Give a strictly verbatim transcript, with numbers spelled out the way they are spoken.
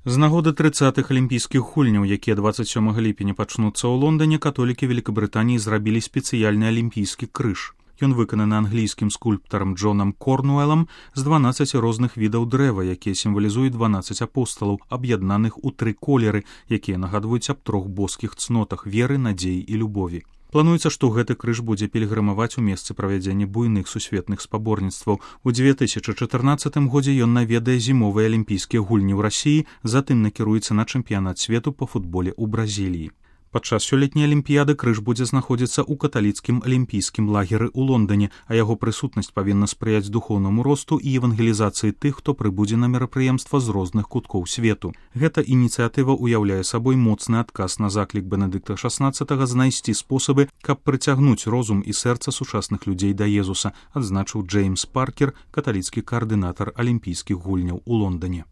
З нагоды трыццатых алімпійскіх гульняў, якія дваццаць сёмага ліпеня пачнуцца ў Лондоне, католікі Великабрытаніі зрабілі спецыяльны алімпійскі крыж. Ён выкананы англійскім скульптарам Джонам Корнуэлам з дванаццаці розных відаў дрэва, якія сімвалізуюць дванаццаць апосталаў, аб'яднаных у тры колеры, якія нагадваюць аб трох боскіх цнотах веры, надзеі і любові. Плануецца, што гэты крыж будзе пільгрымаваць у месцы правядзення буйных сусветных спаборніцтваў. У дзве тысячы чатырнаццатым годзе ён наведае зімовыя алімпійскія гульні ў Расіі, затым накіруецца на чэмпіянат свету па футболе ў Бразіліі. Падчас сёлетняй алімпіяды крыж будзе знаходзіцца ў каталіцкім алімпійскім лагеры ў Лондоне, а яго прысутнасць павінна спрыяць духоўнаму росту і евангелізацыі тых, хто прыбудзе на мерапрыемства з розных куткоў свету. Гэта ініцыятыва ўяўляе сабой моцны адказ на заклік Бенедыкта шаснаццатага знайсці спосабы, каб прыцягнуць розум і сэрца сучасных людзей да Езуса, адзначыў Джеймс Паркер, каталіцкі каардынатар алімпійскіх гульняў у Лондоне.